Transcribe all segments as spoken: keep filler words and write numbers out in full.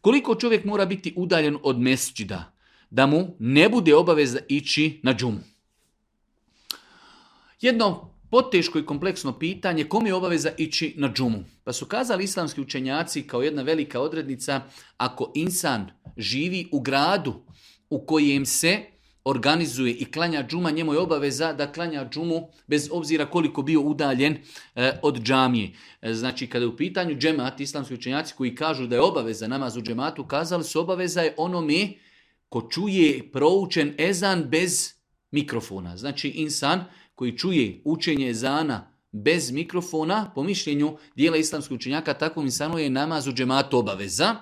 Koliko čovjek mora biti udaljen od mesdžida da mu ne bude obaveza ići na džumu? Jedno poteško i kompleksno pitanje, kom je obaveza ići na džumu? Pa su kazali islamski učenjaci kao jedna velika odrednica, ako insan živi u gradu u kojem se organizuje i klanja džuma, njemu je obaveza da klanja džumu bez obzira koliko bio udaljen e, od džamije. E, znači, kada je u pitanju džemat, islamski učenjaci koji kažu da je obaveza namaz u džematu, kazali su obaveza je onome ko čuje proučen ezan bez mikrofona. Znači, insan koji čuje učenje ezana bez mikrofona, po mišljenju dijela islamskih učenjaka, takvom insanu je namaz u džematu obaveza.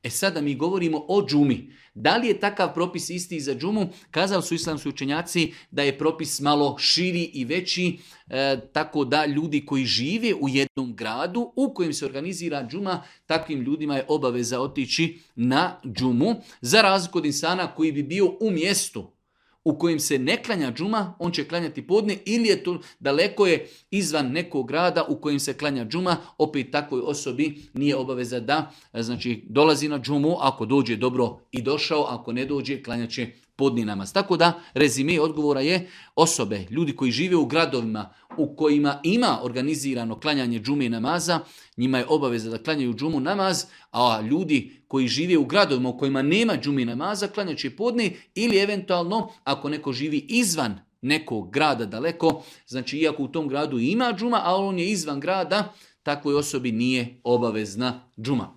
E sada mi govorimo o džumi. Da li je takav propis isti za džumu? Kazali su islamski učenjaci da je propis malo širi i veći, e, tako da ljudi koji žive u jednom gradu u kojem se organizira džuma, takvim ljudima je obaveza otići na džumu, za razliku od insana koji bi bio u mjestu u kojem se ne klanja džuma, on će klanjati podne, ili je to daleko je izvan nekog grada u kojem se klanja džuma, opet takvoj osobi nije obaveza da znači, dolazi na džumu, ako dođe dobro i došao, ako ne dođe klanjat će podni namaz. Tako da rezime odgovora je osobe, ljudi koji žive u gradovima u kojima ima organizirano klanjanje džume i namaza, njima je obaveza da klanjaju džumu namaz, a ljudi koji žive u gradovima u kojima nema džume i namaza, klanjat će podni, ili eventualno ako neko živi izvan nekog grada daleko, znači iako u tom gradu ima džuma, a on je izvan grada, takvoj osobi nije obavezna džuma.